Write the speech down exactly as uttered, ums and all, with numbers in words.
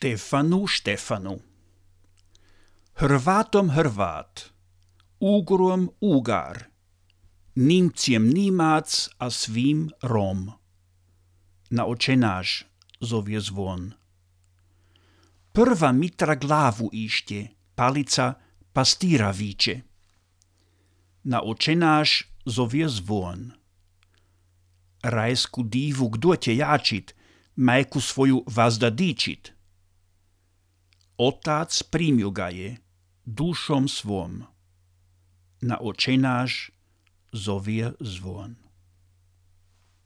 Štefanu, Štefanu. Hrvatom Hrvat, Ugrom Ugar, Nímciem Nímac a svým Rom. Na očenáš zovie zvon. Prva mitra glavu ište, palica pastýra víče. Na očenáš zovie zvon. Rajsku divu kdo te jačit, majku svoju vazda dičit. Otác príjmil ga je dušom svom. Na očenáš zovie zvon.